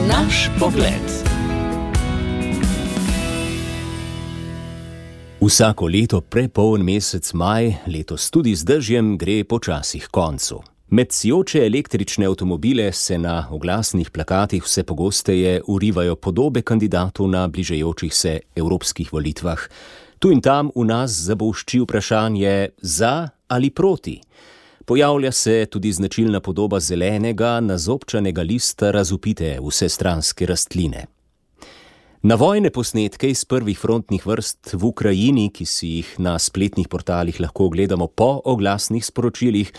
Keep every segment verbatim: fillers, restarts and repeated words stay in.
Naš pogled. Vsako leto prepoln mesec maj, letos tudi z dežjem, gre počasi h koncu. Med sijoče električne avtomobile se na oglasnih plakatih vse pogosteje urivajo podobe kandidatov na bližajočih se evropskih volitvah. Tu in tam v nas zabolšči vprašanje za ali proti. Pojavlja se tudi značilna podoba zelenega, nazobčanega lista razvpite vsestranske rastline. Na vojne posnetke iz prvih frontnih vrst v Ukrajini, ki si jih na spletnih portalih lahko ogledamo po oglasnih sporočilih,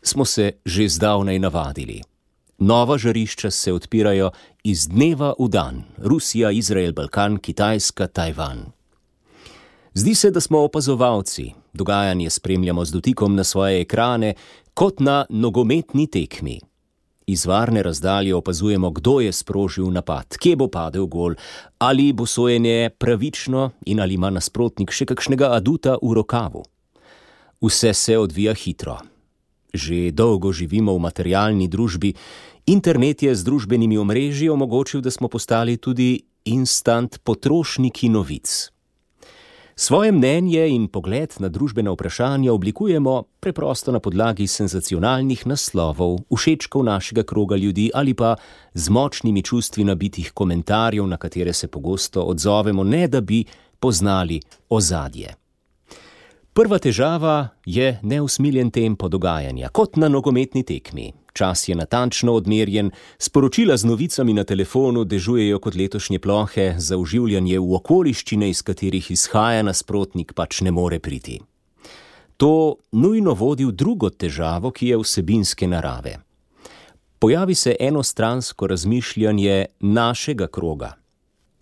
smo se že zdavnaj navadili. Nova žarišča se odpirajo iz dneva v dan. Rusija, Izrael, Balkan, Kitajska, Tajvan. Zdi se, da smo opazovalci. Dogajanje spremljamo z dotikom na svoje ekrane, kot na nogometni tekmi. Iz varne razdalje opazujemo, kdo je sprožil napad, kje bo padel gol, ali bo sojenje pravično in ali ima nasprotnik še kakšnega aduta v rokavu. Vse se odvija hitro. Že dolgo živimo v materialni družbi. Internet je z družbenimi omrežji omogočil, da smo postali tudi instant potrošniki novic. Svoje mnenje in pogled na družbena vprašanja oblikujemo preprosto na podlagi senzacionalnih naslovov, všečkov našega kroga ljudi ali pa z močnimi čustvi nabitih komentarjev, na katere se pogosto odzovemo, ne da bi poznali ozadje. Prva težava je neusmiljen tempo dogajanja, kot na nogometni tekmi. Čas je natančno odmerjen, sporočila z novicami na telefonu dežujejo kot letošnje plohe, za vživljanje v okoliščine, iz katerih izhaja nasprotnik, pač ne more priti. To nujno vodi v drugo težavo, ki je vsebinske narave. Pojavi se enostransko razmišljanje našega kroga.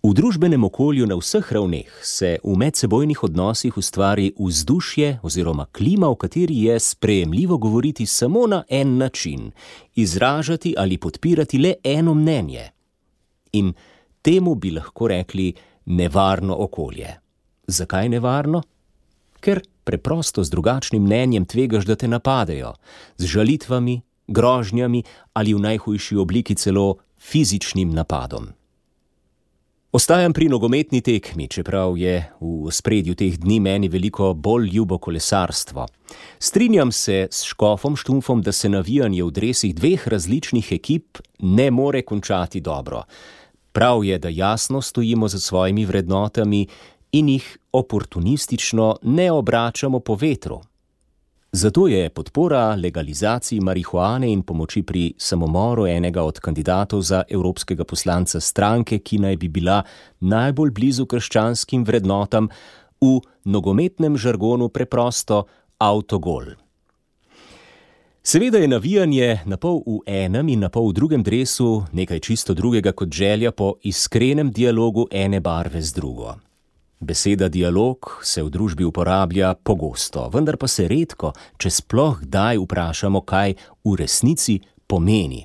V družbenem okolju na vseh ravneh se v medsebojnih odnosih ustvari vzdušje oziroma klima, v kateri je sprejemljivo govoriti samo na en način, izražati ali podpirati le eno mnenje. In temu bi lahko rekli nevarno okolje. Zakaj nevarno? Ker preprosto z drugačnim mnenjem tvegaš, da te napadejo, z žalitvami, grožnjami ali v najhujši obliki celo fizičnim napadom. Ostajam pri nogometni tekmi, čeprav je v ospredju teh dni meni veliko bolj ljubo kolesarstvo. Strinjam se s Škofom Štumpfom, da se navijanje v dresih dveh različnih ekip ne more končati dobro. Prav je, da jasno stojimo za svojimi vrednotami in jih oportunistično ne obračamo po vetru. Zato je podpora legalizaciji marihuane in pomoči pri samomoru enega od kandidatov za evropskega poslanca stranke, ki naj bi bila najbolj blizu krščanskim vrednotam, v nogometnem žargonu preprosto avtogol. Seveda je navijanje napol v enem in napol v drugem dresu nekaj čisto drugega kot želja po iskrenem dialogu ene barve z drugo. Beseda dialog se v družbi uporablja pogosto, vendar pa se redko, če sploh kdaj vprašamo, kaj v resnici pomeni.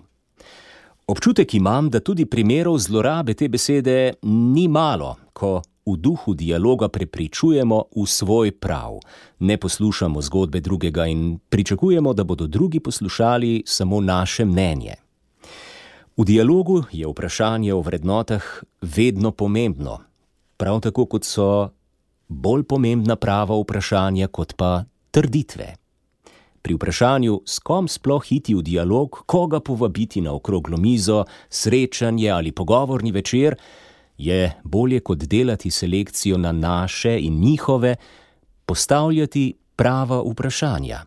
Občutek imam, da tudi primerov zlorabe te besede ni malo, ko v duhu dialoga prepričujemo v svoj prav, ne poslušamo zgodbe drugega in pričakujemo, da bodo drugi poslušali samo naše mnenje. V dialogu je vprašanje o vrednotah vedno pomembno. Prav tako kot so bolj pomembna prava vprašanja kot pa trditve. Pri vprašanju, s kom sploh iti v dialog, koga povabiti na okroglo mizo, srečanje ali pogovorni večer, je bolje kot delati selekcijo na naše in njihove, postavljati prava vprašanja.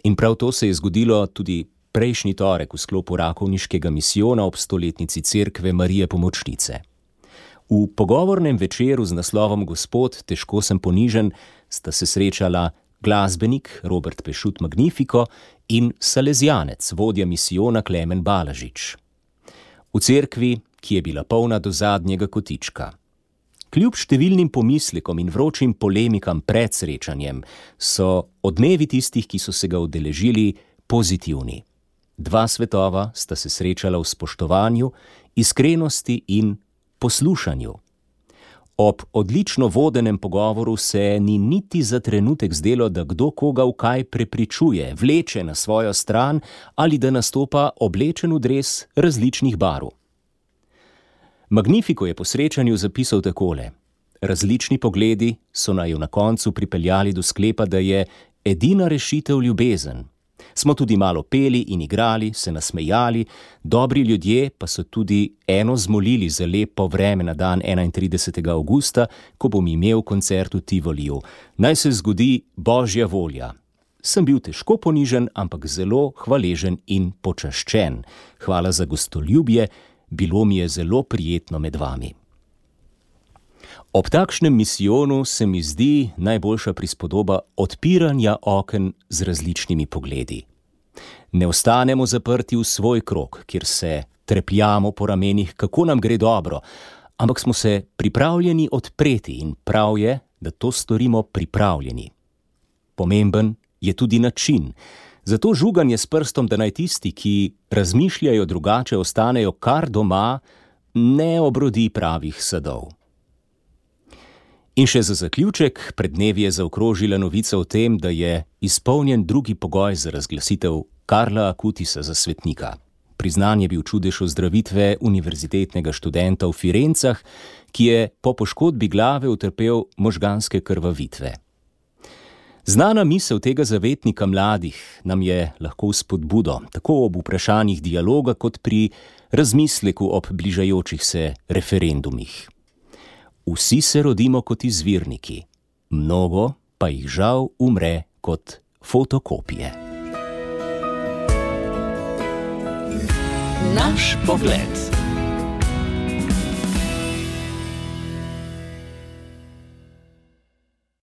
In prav to se je zgodilo tudi prejšnji torek v sklopu rakovniškega misijona ob stoletnici cerkve Marije Pomočnice. V pogovornem večeru z naslovom Gospod, težko sem ponižen, sta se srečala glasbenik Robert Pešut Magnifico in salezijanec, vodja misijona Klemen Balažič. V cerkvi, ki je bila polna do zadnjega kotička. Kljub številnim pomislekom in vročim polemikam pred srečanjem, so odmevi tistih, ki so se ga udeležili, pozitivni. Dva svetova sta se srečala v spoštovanju, iskrenosti in poslušanju. Ob odlično vodenem pogovoru se ni niti za trenutek zdelo, da kdo koga v kaj prepričuje, vleče na svojo stran ali da nastopa oblečen v dres različnih barv. Magnifico je po srečanju zapisal takole: različni pogledi so naju na koncu pripeljali do sklepa, da je edina rešitev ljubezen. Smo tudi malo peli in igrali, se nasmejali, dobri ljudje pa so tudi eno zmolili za lepo vreme na dan enaintridesetega avgusta, ko bom imel koncert v Tivoliju. Naj se zgodi Božja volja. Sem bil težko ponižen, ampak zelo hvaležen in počaščen. Hvala za gostoljubje, bilo mi je zelo prijetno med vami. Ob takšnem misijonu se mi zdi najboljša prispodoba odpiranja oken z različnimi pogledi. Ne ostanemo zaprti v svoj krog, kjer se trepljamo po ramenih, kako nam gre dobro, ampak smo se pripravljeni odpreti in prav je, da to storimo pripravljeni. Pomemben je tudi način. Zato žuganje s prstom, da naj tisti, ki razmišljajo drugače, ostanejo kar doma, ne obrodi pravih sadov. In še za zaključek, pred dnevi je zaokrožila novica o tem, da je izpolnjen drugi pogoj za razglasitev Karla Akutisa za svetnika. Priznan je bil čudež ozdravitve univerzitetnega študenta v Firencah, ki je po poškodbi glave utrpel možganske krvavitve. Znana misel tega zavetnika mladih nam je lahko spodbudo, tako ob vprašanjih dialoga kot pri razmisleku ob bližajočih se referendumih. Vsi se rodimo kot izvirniki, mnogo pa jih žal umre kot fotokopije. Naš pogled.